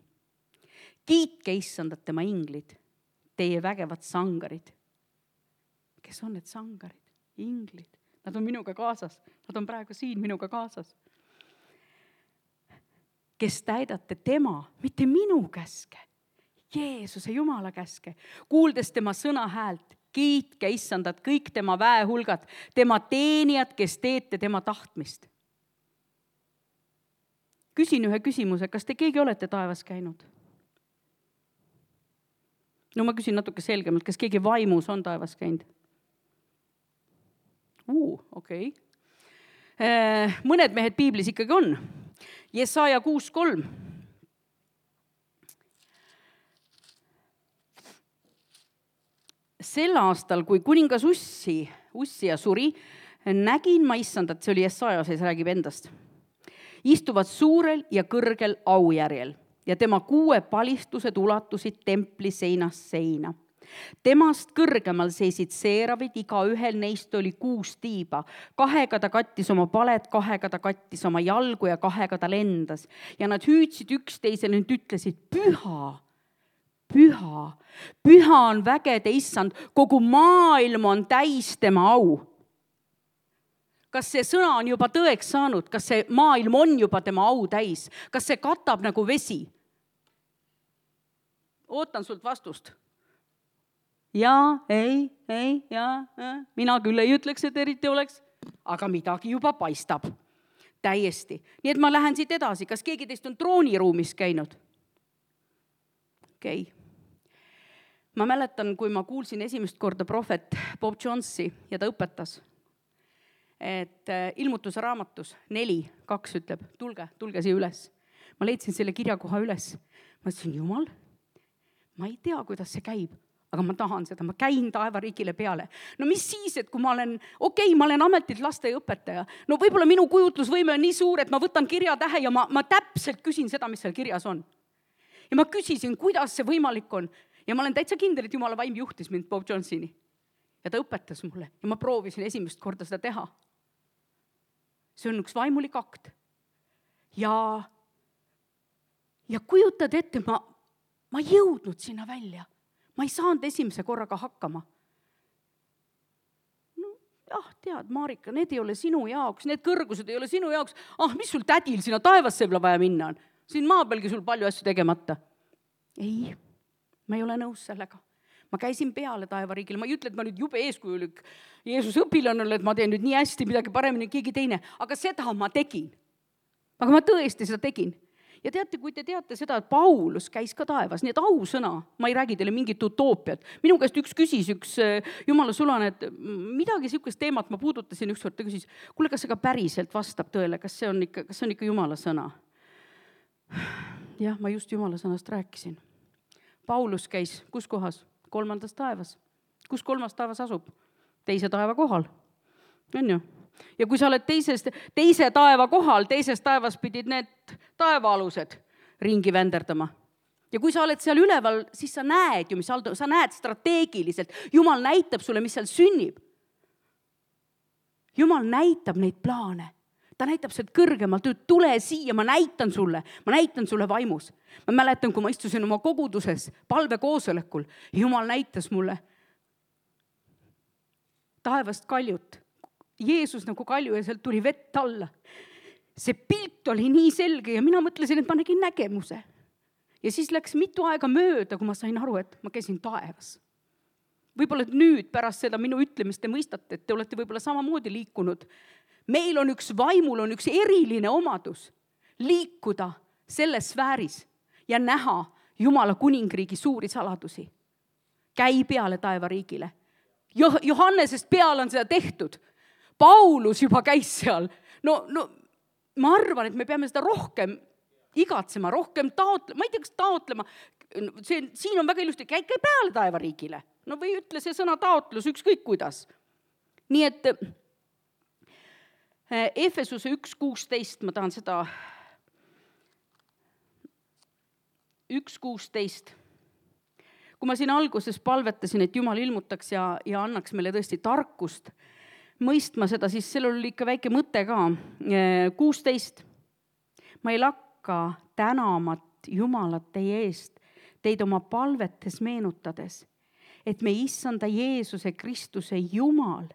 Kiitke issandat tema inglid, teie vägevad sangarid. Kes on need sangarid? Inglid. Nad on minuga kaasas. Nad on praegu siin minuga kaasas. Kes täidate tema, mitte minu käske, Jeesuse Jumala käske, kuuldes tema sõna häält, kiitke issandat kõik tema väehulgad, tema teenijad, kes teete tema tahtmist. Küsin ühe küsimuse, kas te keegi olete taevas käinud? No ma küsin natuke selgemalt, kas keegi vaimus on taevas käinud? Uu, okei. Okay. Mõned mehed piiblis ikkagi on. Jesaja kuus kolm. Sel aastal, kui kuningas Ussi, Ussia suri, nägin ma issandat, see oli Jesaja, see räägib endast, istuvad suurel ja kõrgel aujärjel ja tema kuue palistused ulatusid templi seinast seina. Temast kõrgemal seisid seeravid, iga ühel neist oli kuus tiiba. Kahega ta kattis oma palet, kahega ta kattis oma jalgu ja kahega ta lendas. Ja nad hüüdsid üksteisele, nüüd ütlesid, püha, püha, püha on vägede issand, kogu maailm on täis tema au. Kas see sõna on juba tõeks saanud? Kas see maailm on juba tema au täis? Kas see katab nagu vesi? Ootan sult vastust. Ja, ei, ei, ja, ja, mina küll ei ütleks, et eriti oleks, aga midagi juba paistab. Täiesti. Nii et ma lähen siit edasi. Kas keegi teist on trooniruumis käinud? Okei. Okay. Ma mäletan, kui ma kuulsin esimest korda prohvet Bob Jonesi ja ta õpetas, et ilmutuse raamatus neli, kaks ütleb, tulge, tulge siia üles. Ma leidsin selle kirjakoha üles. Ma ütlesin, Jumal, ma ei tea, kuidas see käib. Aga ma tahan seda, ma käin taevariigile peale. No mis siis, et kui ma olen, okei, okay, ma olen ametilt lasteõpetaja, no võib-olla minu kujutlusvõime on nii suur, et ma võtan kirjatähe ja ma, ma täpselt küsin seda, mis seal kirjas on. Ja ma küsisin, kuidas see võimalik on. Ja ma olen täitsa kindel, et Jumala vaim juhtis mind Bob Jonesini. Ja ta õpetas mulle ja ma proovisin esimest korda seda teha. See on üks vaimulik akt. Ja, ja kujutad ette, ma, ma jõudnud sinna välja. Ma ei saanud esimese korraga hakkama. No, jah, tead, Marika, need ei ole sinu jaoks, need kõrgused ei ole sinu jaoks. Ah, mis sul tädil sinna taevasse võib vaja minna on? Siin maa pealgi sul palju asju tegemata. Ei, ma ei ole nõus sellega. Ma käisin peale taevariigile, ma ei ütle, et ma nüüd jube eeskujulik Jeesus õpilane, et ma teen nüüd nii hästi midagi paremini keegi teine, aga seda ma tegin. Aga ma tõesti seda tegin. Ja teate, kui te teate seda, et Paulus käis ka taevas, nii et ausõna, ma ei räägi teile mingit utoopiat. Minu käest üks küsis, üks Jumala sulane, et midagi sihukest teemat ma puudutasin ükskord, ta küsis, kuule, kas see ka päriselt vastab tõele, kas see on ikka, kas see on ikka Jumala sõna? Jah, ma just Jumala sõnast rääkisin. Paulus käis, kus kohas? Kolmandas taevas. Kus kolmas taevas asub? Teise taeva kohal. On ju? Ja kui sa oled teises, teise taeva kohal, teises taevas pidid need taevaalused ringi vänderdama. Ja kui sa oled seal üleval, siis sa näed ju, mis aldo, sa näed strateegiliselt. Jumal näitab sulle, mis seal sünnib. Jumal näitab neid plaane. Ta näitab sealt kõrgemalt, et tule siia, ma näitan sulle, ma näitan sulle vaimus. Ma mäletan, kui ma istusin oma koguduses palvekoosolekul, Jumal näitas mulle taevast kaljut. Jeesus nagu kalju ja sealt tuli vett alla. See pilt oli nii selge ja mina mõtlesin, et ma nägin nägemuse. Ja siis läks mitu aega mööda, kui ma sain aru, et ma käisin taevas. Võib-olla nüüd pärast seda minu ütlemist te mõistate, et te olete võib-olla samamoodi liikunud. Meil on üks vaimul, on üks eriline omadus liikuda selles sfääris ja näha Jumala kuningriigi suuri saladusi. Käi peale taevariigile. Johannesest peale on seda tehtud. Paulus juba käis seal. No, no ma arvan, et me peame seda rohkem igatsema, rohkem taotlema. Ma ei tea, kas taotlema. See, siin on väga ilusti, käi, käi peale taevariigile. No või ütle see sõna taotlus, ükskõik kuidas. Nii et Efesuse üks kuusteist, ma tahan seda üks kuusteist. Kui ma siin alguses palvetasin, et Jumal ilmutaks ja, ja annaks meile tõesti tarkust mõistma seda, siis sellel oli ikka väike mõte ka. kuusteist. Ma ei lakka tänamat Jumalat teie eest, teid oma palvetes meenutades, et me issanda Jeesuse Kristuse Jumal,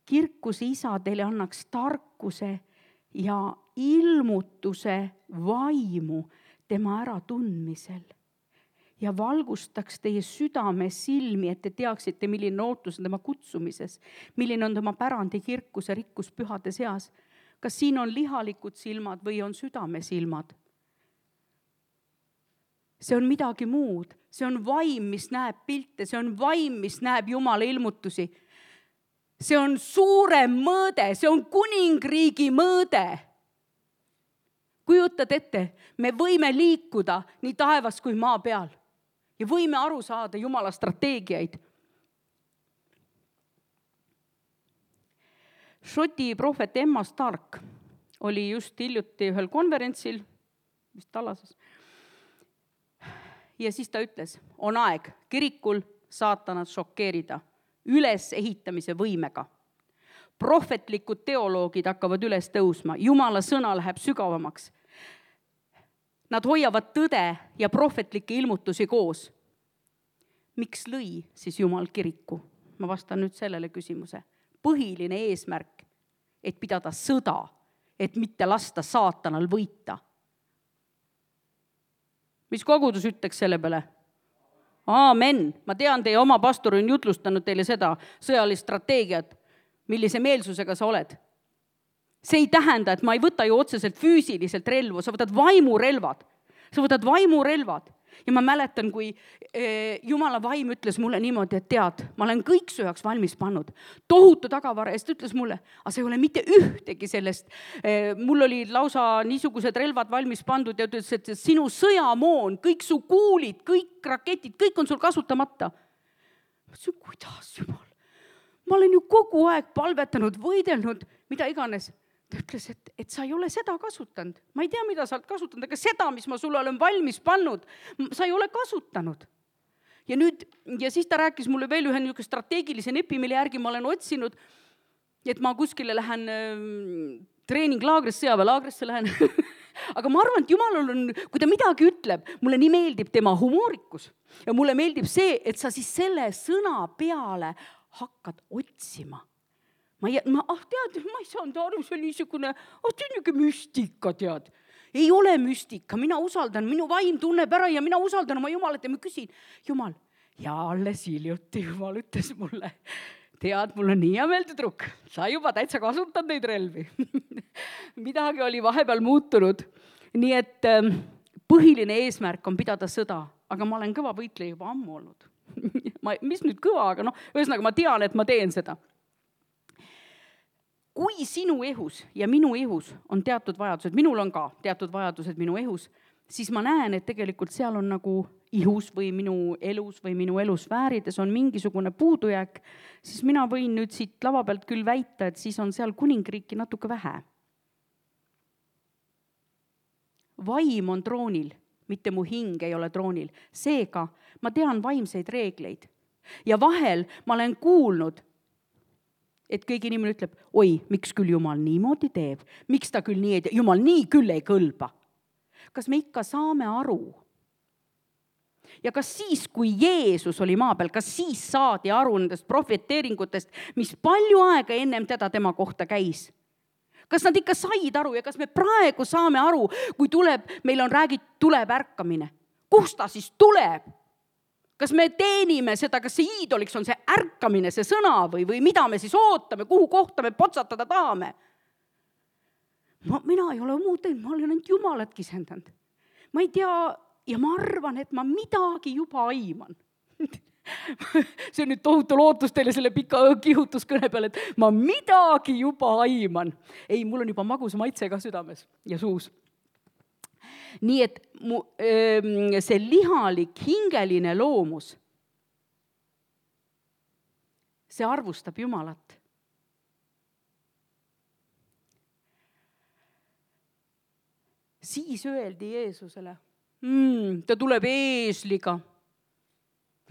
kirkuse isa teile annaks tarkuse ja ilmutuse vaimu tema äratundmisel ja valgustaks teie südame silmi, et te teaksite, milline ootus on tema kutsumises, milline on tema pärandi kirkuse rikkus pühade seas. Kas siin on lihalikud silmad või on südame silmad? See on midagi muud. See on vaim, mis näeb pilte, see on vaim, mis näeb Jumala ilmutusi. See on suurem mõõde, see on kuningriigi mõõde. Kujutad ette, me võime liikuda nii taevas kui maa peal ja võime aru saada Jumala strateegiaid. Šoti prohvet Emma Stark oli just hiljuti ühel konverentsil, vist Tallases. Ja siis ta ütles, on aeg kirikul saatanat šokeerida üles ehitamise võimega. Prohvetlikud teoloogid hakkavad üles tõusma, Jumala sõna läheb sügavamaks. Nad hoiavad tõde ja prohvetlikke ilmutusi koos. Miks lõi siis Jumal kiriku? Ma vastan nüüd sellele küsimuse. Põhiline eesmärk, et pidada sõda, et mitte lasta saatanal võita. Mis kogudus ütleks selle peale? Aamen. Ma tean, teie oma pastor on jutlustanud teile seda sõjalist strateegiat, millise meelsusega sa oled. See ei tähenda, et ma ei võta ju otseselt füüsiliselt relvu, sa võtad vaimurelvad. Sa võtad vaimurelvad. Ja ma mäletan, kui Jumala vaim ütles mulle niimoodi, et tead, ma olen kõik sööjaks valmis pannud. Tohutu tagavara, ja ta ütles mulle, aga see ei ole mitte ühtegi sellest. Mul oli lausa niisugused relvad valmis pandud ja ütles, et sinu sõjamoon, kõik su kuulid, kõik raketid, kõik on sul kasutamata. Ma ütlesin, kuidas Jumal? Ma olen ju kogu aeg palvetanud, võidelnud, mida iganes. Ta ütles, et, et sa ei ole seda kasutanud. Ma ei tea, mida sa oled kasutanud, aga seda, mis ma sulle olen valmis pannud, sa ei ole kasutanud. Ja nüüd, ja siis ta rääkis mulle veel ühe niisugune strateegilise nepi, mille järgi ma olen otsinud, et ma kuskile lähen treeninglaagrisse, sõjaväelaagrisse lähen. Aga ma arvan, et Jumal on, kui ta midagi ütleb, mulle nii meeldib tema humoorikus. Ja mulle meeldib see, et sa siis selle sõna peale hakkad otsima. Ma, ei, ma ah, tead, ma ei saanud aru, see on niisugune, oh, see on niisugune müstika, tead. Ei ole müstika, mina usaldan, minu vaim tunneb ära ja mina usaldan oma Jumalat ja ma küsin, Jumal, ja alles hiljuti Jumal ütles mulle, tead, mul on nii hea meel, tüdruk, sa juba täitsa kasutad neid relvi. Midagi oli vahepeal muutunud. Nii et põhiline eesmärk on pidada sõda, aga ma olen kõva võitleja juba ammu olnud. ma, mis nüüd kõva, aga noh, ühesõnaga ma tean, et ma teen seda. Kui sinu ehus ja minu ehus on teatud vajadused, minul on ka teatud vajadused minu ehus, siis ma näen, et tegelikult seal on nagu ihus või minu elus või minu elusfäärides on mingisugune puudujääk, siis mina võin nüüd siit lava pealt küll väita, et siis on seal kuningriiki natuke vähe. Vaim on troonil, mitte mu hing ei ole troonil. Seega ma tean vaimseid reegleid ja vahel ma olen kuulnud, et keegi inimene ütleb, oi, miks küll Jumal niimoodi teeb, miks ta küll nii ei tee, Jumal nii küll ei kõlba. Kas me ikka saame aru, Ja kas siis, kui Jeesus oli maa peal, kas siis saadi aru nendest profeteeringutest, mis palju aega ennem teda tema kohta käis? Kas nad ikka said aru ja kas me praegu saame aru, kui tuleb, meil on räägitud, tuleb ärkamine? Kust ta siis tuleb? Kas me teenime seda, kas see iidoliks on see ärkamine, see sõna või, või mida me siis ootame, kuhu kohta me potsatada tahame? Ma, mina ei ole muud teinud, ma olen ainult Jumalat kisendanud. Ma ei tea ja ma arvan, et ma midagi juba aiman. See on nüüd tohutu lootus teile selle pika kihutuskõne peale, et ma midagi juba aiman. Ei, mul on juba magus maitse ka südames ja suus. Nii et mu, see lihalik, hingeline loomus, see arvustab Jumalat. Siis öeldi Jeesusele, mm, ta tuleb eesliga.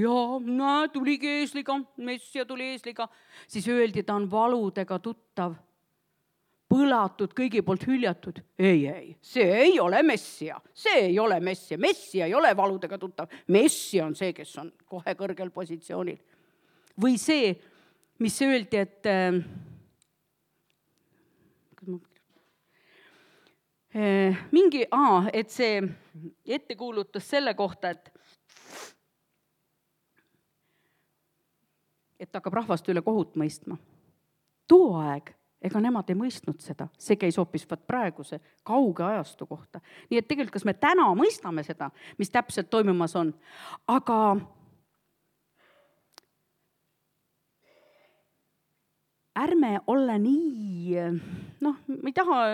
Jaa, näe, tuligi eesliga, messia tuli eesliga. Siis öeldi, ta on valudega tuttav, põlatud, kõigi poolt hüljatud. Ei, ei, see ei ole messia, see ei ole messia. Messia ei ole valudega tuttav. Messia on see, kes on kohe kõrgel positsioonil. Või see, mis öeldi, et äh, äh, mingi, aa, et see ettekuulutus selle kohta, et et hakkab rahvast üle kohut mõistma. Too aeg, ega nemad ei mõistnud seda. See käis hoopis praeguse kauge ajastu kohta. Nii et tegelikult, kas me täna mõistame seda, mis täpselt toimumas on, aga ärme olla nii, noh, ma ei taha,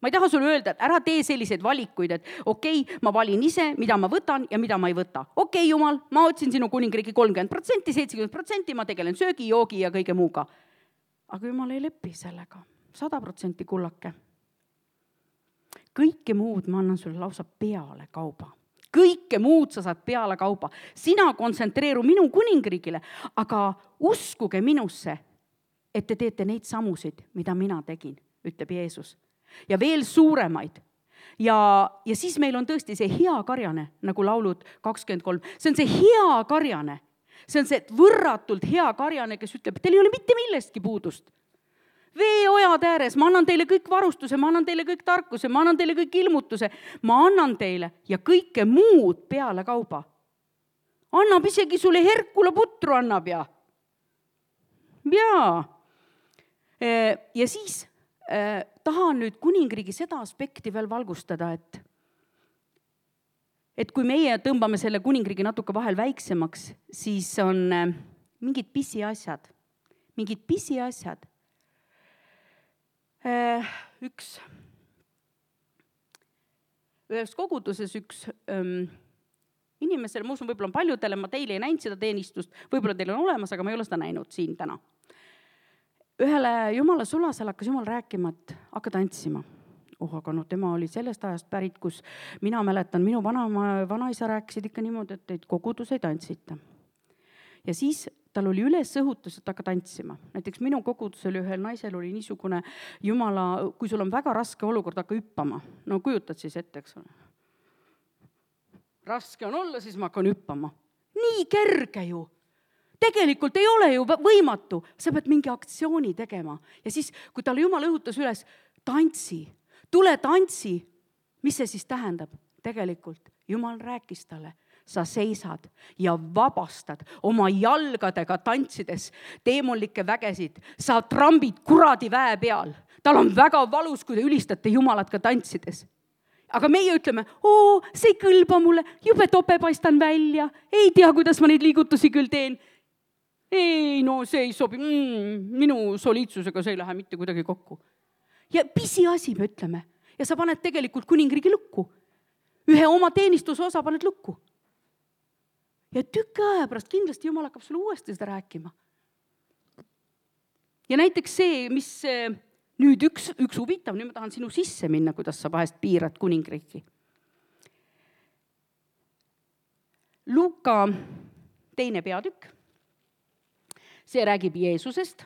ma ei taha sulle öelda, et ära tee selliseid valikuid, et okei, okay, ma valin ise, mida ma võtan ja mida ma ei võta. Okei, okay, Jumal, ma otsin sinu kuningriigi kolmkümmend protsenti, seitsekümmend protsenti, ma tegelen söögi, joogi ja kõige muuga. Aga Jumal ei lepi sellega. sada protsenti kullake. Kõike muud ma annan sulle lausa peale kauba. Kõike muud sa saad peale kauba. Sina kontsentreeru minu kuningriigile, aga uskuge minusse, et te teete neid samusid, mida mina tegin, ütleb Jeesus. Ja veel suuremaid. Ja, ja siis meil on tõesti see hea karjane, nagu laulud kakskümmend kolm. See on see hea karjane. See on see võrratult hea karjane, kes ütleb, teil ei ole mitte millestki puudust. Veeojad ääres, ma annan teile kõik varustuse, ma annan teile kõik tarkuse, ma annan teile kõik ilmutuse, ma annan teile ja kõike muud peale kauba. Annab isegi sulle Herkula putru annab ja. Jaa. Ja siis tahan nüüd kuningriigi seda aspekti veel valgustada, et, et kui meie tõmbame selle kuningriigi natuke vahel väiksemaks, siis on mingid pisiasjad, mingid pisiasjad. Üks, ühes koguduses üks ähm, inimesel, ma usun, võib-olla on paljudele, ma teile ei näinud seda teenistust, võib-olla teil on olemas, aga ma ei ole seda näinud siin täna. Ühele Jumala sulasel hakkas Jumal rääkima, et hakka tantsima. Oh, aga no tema oli sellest ajast pärit, kus mina mäletan, minu vana, vanaisa rääkisid ikka niimoodi, et teid kogudus ei tantsita. Ja siis tal oli üles õhutus, et hakka tantsima. Näiteks minu kogudusel ühel naisel oli niisugune Jumala, kui sul on väga raske olukord, hakka hüppama. No kujutad siis ette, eks ole. Raske on olla, siis ma hakkan hüppama. Nii kerge ju. Tegelikult ei ole ju võimatu, sa pead mingi aktsiooni tegema. Ja siis, kui talle Jumal õhutas üles, tantsi, tule tantsi, mis see siis tähendab? Tegelikult Jumal rääkis talle, sa seisad ja vabastad oma jalgadega tantsides teemonlikke vägesid, sa trambid kuradi väe peal. Tal on väga valus, kui te ülistate Jumalat ka tantsides. Aga meie ütleme, oo, see ei kõlba mulle, jube tope paistan välja, ei tea, kuidas ma neid liigutusi küll teen. Ei, no see ei sobi, mm, minu soliidsusega see ei lähe mitte kuidagi kokku. Ja pisi asi me ütleme. Ja sa paned tegelikult kuningriigi lukku. Ühe oma teenistuse osa paned lukku. Ja tükk aja pärast kindlasti Jumal hakkab sulle uuesti seda rääkima. Ja näiteks see, mis nüüd üks, üks huvitav, nüüd ma tahan sinu sisse minna, kuidas sa vahest piirad kuningriiki. Luuka teine peatükk. See räägib Jeesusest.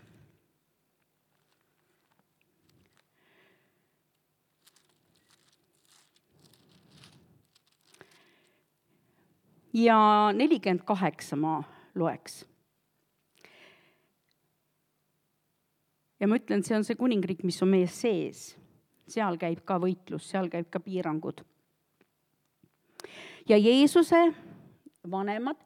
ja nelikümmend kaheksa ma loeks. Ja ma ütlen, see on see kuningriik, mis on meie sees. Seal käib ka võitlus, seal käib ka piirangud. Ja Jeesuse vanemad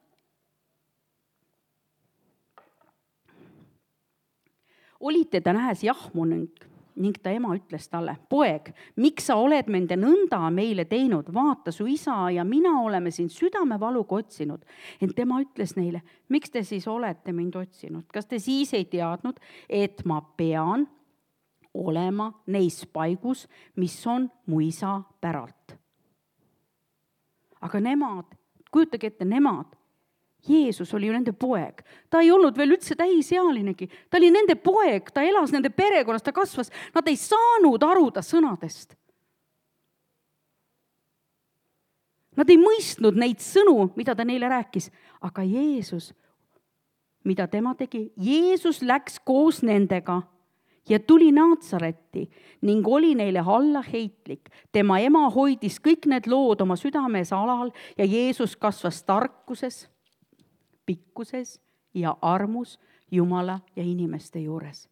olid teda nähes jahmunud ning ta ema ütles talle, poeg, miks sa oled mende nõnda meile teinud? Vaata, su isa ja mina oleme sind südamevaluga otsinud. Ent tema ütles neile, miks te siis olete mind otsinud? Kas te siis ei teadnud, et ma pean olema neis paigus, mis on mu isa päralt? Aga nemad, kujutage ette, nemad, Jeesus oli ju nende poeg. Ta ei olnud veel üldse täisealinegi. Ta oli nende poeg, ta elas nende perekonnas, ta kasvas. Nad ei saanud aru ta sõnadest. Nad ei mõistnud neid sõnu, mida ta neile rääkis. Aga Jeesus, mida tema tegi? Jeesus läks koos nendega ja tuli Naatsaretti ning oli neile alla heitlik. Tema ema hoidis kõik need lood oma südames alal ja Jeesus kasvas tarkuses, pikkuses ja armus Jumala ja inimeste juures.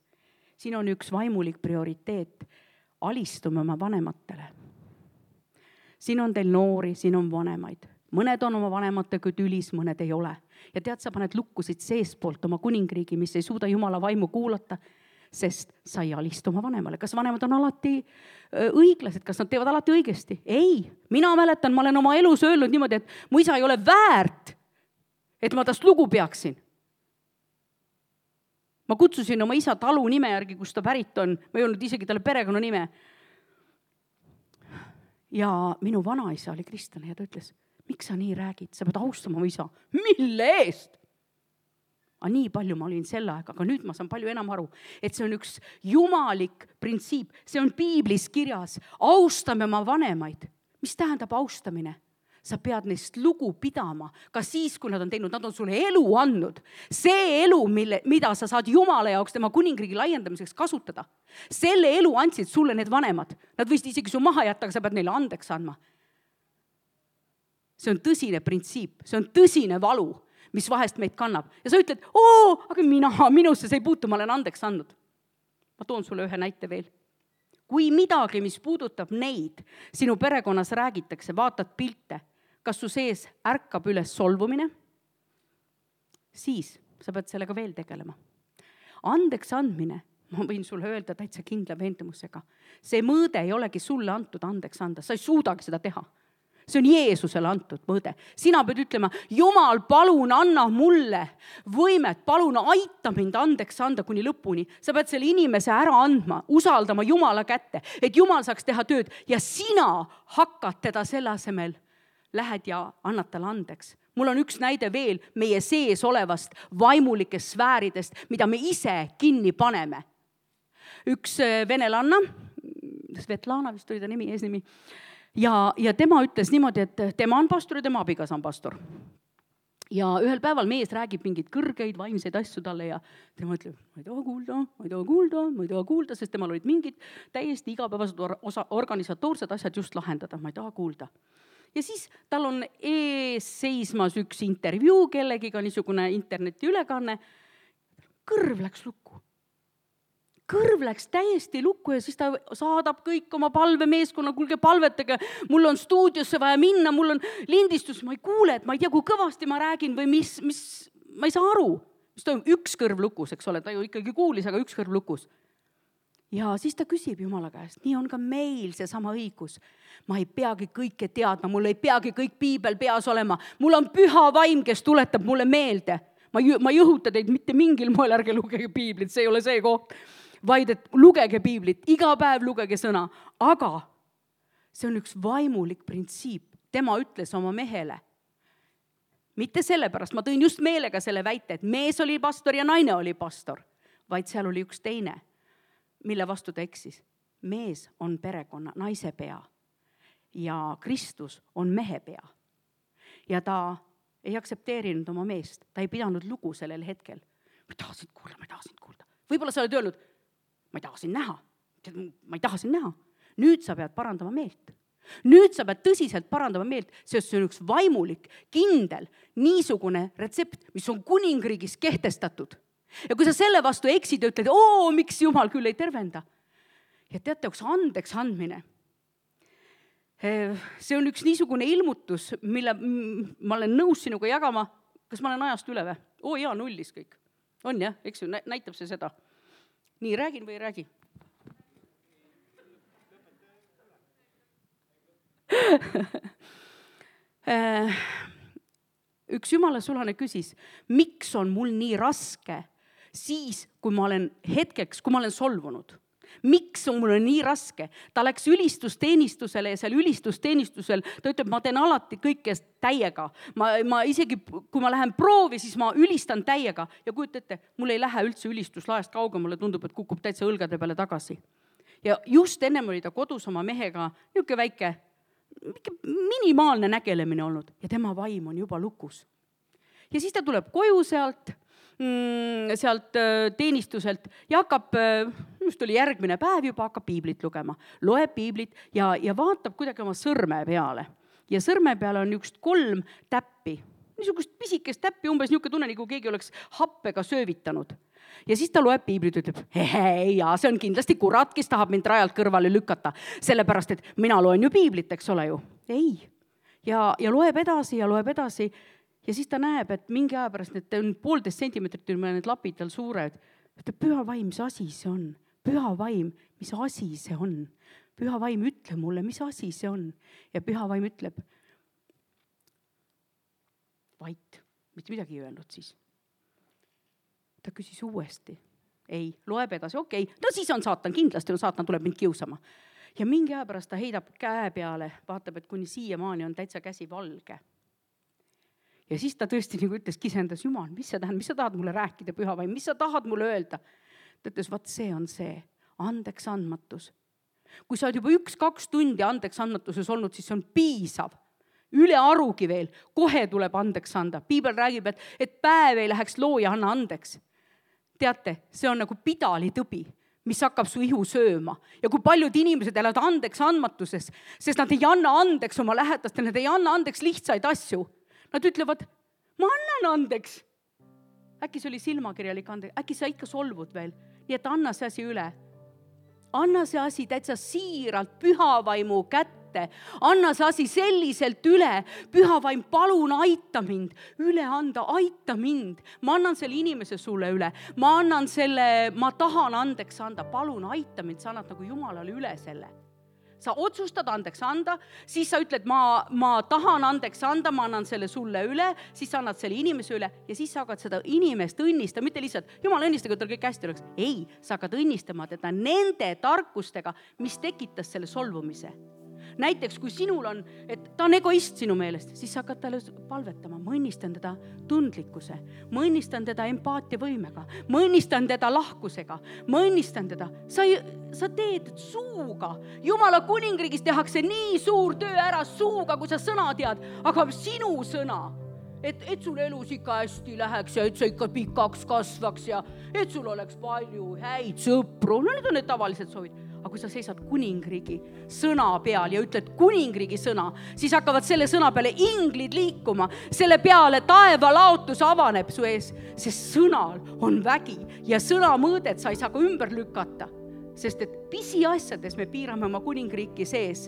Siin on üks vaimulik prioriteet. Alistume oma vanematele. Siin on teil noori, siin on vanemaid. Mõned on oma vanematega tülis, mõned ei ole. Ja tead, sa paned lukkusid seespoolt oma kuningriigi, mis ei suuda Jumala vaimu kuulata, sest sa ei alistu oma vanemale. Kas vanemad on alati õiglased? Kas nad teevad alati õigesti? Ei. Mina mäletan, ma olen oma elus öelnud niimoodi, et mu isa ei ole väärt, et ma tast lugu peaksin. Ma kutsusin oma isa talu nime järgi, kus ta pärit on. Ma ei olnud isegi talle perekonna nime. Ja minu vanaisa oli kristlane ja ta ütles, miks sa nii räägid? Sa pead austama oma isa. Mille eest? Aga nii palju ma olin selle aega, aga nüüd ma saan palju enam aru, et see on üks jumalik printsiip. See on piiblis kirjas. Austame oma vanemaid. Mis tähendab austamine? Sa pead neist lugu pidama, ka siis, kui nad on teinud, nad on sulle elu andnud. See elu, mille, mida sa saad Jumala jaoks tema kuningriigi laiendamiseks kasutada. Selle elu andsid sulle need vanemad. Nad võisid isegi su maha jätta, aga sa pead neile andeks andma. See on tõsine printsiip, see on tõsine valu, mis vahest meid kannab. Ja sa ütled, oo, aga mina, minusse see ei puutu, ma olen andeks andnud. Ma toon sulle ühe näite veel. Kui midagi, mis puudutab neid, sinu perekonnas räägitakse, vaatad pilte, kas su sees ärkab üles solvumine, siis sa pead sellega veel tegelema. Andeks andmine, ma võin sulle öelda täitsa kindla veendumusega, see mõõde ei olegi sulle antud andeks anda, sa ei suudagi seda teha. See on Jeesusele antud mõõde. Sina pead ütlema, Jumal, palun anna mulle võimet, palun aita mind andeks anda kuni lõpuni. Sa pead selle inimese ära andma, usaldama Jumala kätte, et Jumal saaks teha tööd ja sina hakkad teda selle asemel. Lähed ja annad talle andeks. Mul on üks näide veel meie sees olevast vaimulikest sfääridest, mida me ise kinni paneme. Üks venelanna, Svetlana vist oli ta nimi, eesnimi, Ja, ja tema ütles niimoodi, et tema on pastor ja tema abigas on pastor. Ja ühel päeval mees räägib mingid kõrgeid vaimseid asju talle ja tema ütleb, ma ei taha kuulda, ma ei taha kuulda, ma ei taha kuulda, sest temal olid mingid täiesti igapäevased osa, organisatoorsed asjad just lahendada, ma ei taha kuulda. Ja siis tal on ees seismas üks intervjuu kellegiga, niisugune interneti ülekanne. Kõrv läks lukku. Kõrv läks täiesti lukku ja siis ta saadab kõik oma palvemeeskonna, kuulge palvetage, mul on stuudiosse vaja minna, mul on lindistus, ma ei kuule, et ma ei tea, kui kõvasti ma räägin või mis, mis ma ei saa aru. Mis ta üks kõrv lukus, eks ole, ta ju ikkagi kuulis, aga üks kõrv lukus. Ja siis ta küsib Jumala käest, nii on ka meil see sama õigus. Ma ei peagi kõike teadma, mul ei peagi kõik piibel peas olema. Mul on püha vaim, kes tuletab mulle meelde. Ma, ma ei õhuta teid mitte mingil moel, ärge lugege piiblit, see ei ole see koht. Vaid et lugege piiblit, iga päev lugege sõna, aga see on üks vaimulik printsiip. Tema ütles oma mehele, mitte sellepärast, ma tõin just meelega selle väite, et mees oli pastor ja naine oli pastor, vaid seal oli üks teine, mille vastu ta eksis. Mees on perekonna, naise pea ja Kristus on mehe pea. Ja ta ei aksepteerinud oma meest, ta ei pidanud lugu sellel hetkel. Ma ei taha sind kuulda, ma ei taha sind kuulda. Võib-olla sa oled öelnud, ma ei taha sind näha, ma ei taha sind näha. Nüüd sa pead parandama meelt. Nüüd sa pead tõsiselt parandama meelt, sest see on üks vaimulik, kindel, niisugune retsept, mis on kuningriigis kehtestatud. Ja kui sa selle vastu eksid ja ütled, oo, miks Jumal küll ei tervenda. Ja teate, üks andeks andmine. See on üks niisugune ilmutus, mille ma olen nõus sinuga jagama. Kas ma olen ajast üle või? Oo jaa, nullis kõik. On jah, eks ju, näitab see seda. Nii, räägin või ei räägi? Üks jumala sulane küsis, miks on mul nii raske siis, kui ma olen hetkeks, kui ma olen solvunud? Miks on mul nii raske? Ta läks ülistusteenistusele ja seal ülistusteenistusel ta ütleb, ma teen alati kõike täiega. Ma, ma isegi, kui ma lähen proovi, siis ma ülistan täiega. Ja kujutate, mul ei lähe üldse ülistuslaest kaugemale, tundub, et kukub täitsa õlgade peale tagasi. Ja just ennem oli ta kodus oma mehega niisugune väike, minimaalne nägelemine olnud ja tema vaim on juba lukus. Ja siis ta tuleb koju sealt, sealt teenistuselt ja hakkab, just oli järgmine päev juba, hakkab piiblit lugema. Loeb piiblit ja, ja vaatab kuidagi oma sõrme peale. Ja sõrme peale on üks kolm täppi. Niisugust pisikest täppi, umbes niisugune tunne, nagu keegi oleks happega söövitanud. Ja siis ta loeb piiblit ja ütleb, hei, ja see on kindlasti kurat, kes tahab mind rajalt kõrvale lükata. Sellepärast, et mina loen ju piiblit, eks ole ju. Ei. Ja, ja loeb edasi ja loeb edasi. Ja siis ta näeb, et mingi aja pärast need on poolteist sentimeetrit, need lapid tal suured. Ütleb, püha vaim, mis asi see on? Püha vaim, mis asi see on? Püha vaim, ütle mulle, mis asi see on? Ja püha vaim ütleb, vait, mitte midagi ei öelnud siis. Ta küsis uuesti. Ei, loeb edasi, okei. Okay. No siis on saatan, kindlasti on saatan, tuleb mind kiusama. Ja mingi aja pärast ta heidab käe peale, vaatab, et kuni siiamaani on täitsa käsi valge. Ja siis ta tõesti nagu ütles, kisendas, Jumal, mis sa tähendab, mis sa tahad mulle rääkida, püha vaim, mis sa tahad mulle öelda? Ta ütles, vaat see on see, andeks andmatus. Kui sa oled juba üks-kaks tundi andeks andmatuses olnud, siis see on piisav. Üle arugi veel, kohe tuleb andeks anda. Piibel räägib, et, et päev ei läheks looja anna andeks. Teate, see on nagu pidalitõbi, mis hakkab su ihu sööma. Ja kui paljud inimesed elavad andeks andmatuses, sest nad ei anna andeks oma lähedastele, nad ei anna andeks lihtsaid asju. Nad ütlevad, ma annan andeks. Äkki see oli silmakirjalik andeks, äkki sa ikka solvud veel. Nii et anna see asi üle. Anna see asi täitsa siiralt pühavaimu kätte. Anna see asi selliselt üle. Pühavaim, palun aita mind. Üle anda, aita mind. Ma annan selle inimese sulle üle. Ma annan selle, ma tahan andeks anda. Palun aita mind, sa annad nagu Jumalale üle selle. Sa otsustad andeks anda, siis sa ütled, ma, ma tahan andeks anda, ma annan selle sulle üle, siis sa annad selle inimese üle ja siis sa hakkad seda inimest õnnista, mitte lihtsalt, Jumal õnnistage, et tal kõik hästi oleks. Ei, sa hakkad õnnistama teda nende tarkustega, mis tekitas selle solvumise. Näiteks, kui sinul on, et ta on egoist sinu meelest, siis sa hakkad talle palvetama. Ma õnnistan teda tundlikkuse, ma õnnistan teda empaatiavõimega, ma õnnistan teda lahkusega, ma õnnistan teda. Sa, sa teed suuga. Jumala kuningriigis tehakse nii suur töö ära suuga, kui sa sõna tead, aga sinu sõna, et, et sul elus ikka hästi läheks ja et sa ikka pikaks kasvaks ja et sul oleks palju häid sõpru. No need on need tavalised soovid. Aga kui sa seisad kuningriigi sõna peal ja ütled kuningriigi sõna, siis hakkavad selle sõna peale inglid liikuma. Selle peale taeva laotus avaneb su ees, sest sõnal on vägi ja sõna mõõdet sa ei saa ka ümber lükata. Sest et pisi asjades me piirame oma kuningriiki sees.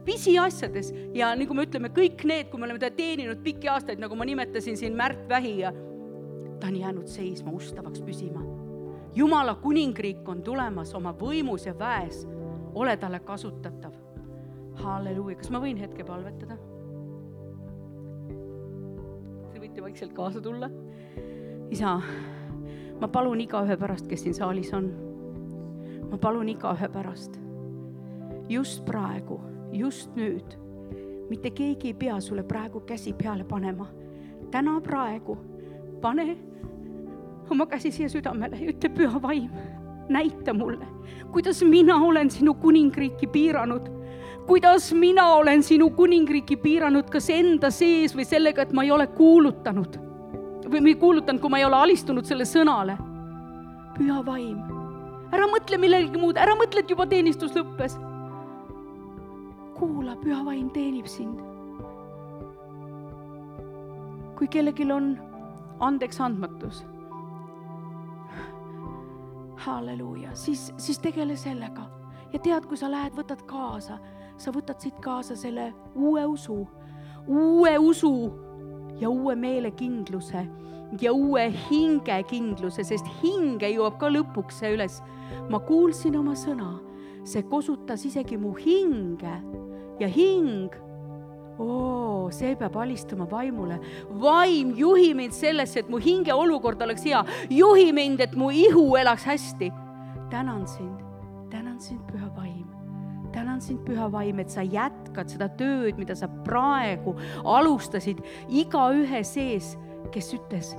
Pisi asjades ja nagu me ütleme, kõik need, kui me oleme teda teeninud pikki aastaid, nagu ma nimetasin siin Märt Vähi ja ta on jäänud seisma, ustavaks püsima. Jumala kuningriik on tulemas oma võimus ja väes. Ole talle kasutatav. Halleluuja. Kas ma võin hetke palvetada? Te võite vaikselt kaasa tulla. Isa, ma palun iga ühe pärast, kes siin saalis on. Ma palun iga ühe pärast. Just praegu, just nüüd. Mitte keegi ei pea sulle praegu käsi peale panema. Täna praegu pane oma käsi siia südamele ja ütle, püha vaim, näita mulle, kuidas mina olen sinu kuningriiki piiranud. Kuidas mina olen sinu kuningriiki piiranud, kas enda sees või sellega, et ma ei ole kuulutanud. Või ma ei kuulutanud, kui ma ei ole alistunud selle sõnale. Püha vaim, ära mõtle millegi muud, ära mõtle, et juba teenistus lõppes. kuula, püha vaim teenib sind. Kui kellelgi on andeks andmatus, halleluuja, siis, siis tegele sellega. Ja tead, kui sa lähed, võtad kaasa, sa võtad siit kaasa selle uue usu, uue usu ja uue meelekindluse ja uue hingekindluse, sest hinge jõuab ka lõpuks see üles. Ma kuulsin oma sõna, see kosutas isegi mu hinge ja hing, oo, see peab alistuma vaimule. Vaim, juhi mind sellesse, et mu hinge olukord oleks hea. Juhi mind, et mu ihu elaks hästi. Tänan sind, tänan sind, püha vaim. Tänan sind, püha vaim, et sa jätkad seda tööd, mida sa praegu alustasid iga ühe sees, kes ütles,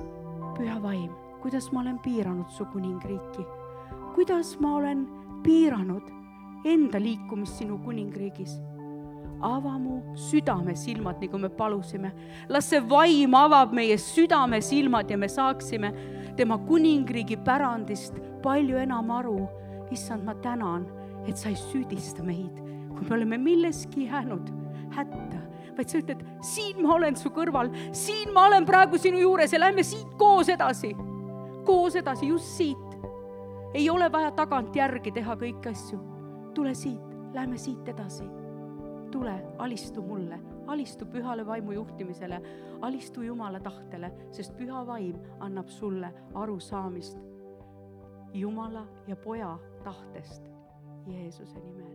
püha vaim, kuidas ma olen piiranud su kuningriiki? Kuidas ma olen piiranud enda liikumist sinu kuningriigis? Ava mu südame silmad, nagu me palusime. Las see vaim avab meie südame silmad ja me saaksime tema kuningriigi pärandist palju enam aru. Issand, ma tänan, et sa ei süüdista meid, kui me oleme milleski jäänud hätta, vaid sa ütled, siin ma olen su kõrval, siin ma olen praegu sinu juures ja lähme siit koos edasi. Koos edasi, just siit. Ei ole vaja tagant järgi teha kõik asju. Tule siit, lähme siit edasi. Tule, alistu mulle, alistu pühale vaimu juhtimisele, alistu Jumala tahtele, sest püha vaim annab sulle arusaamist Jumala ja poja tahtest Jeesuse nimel.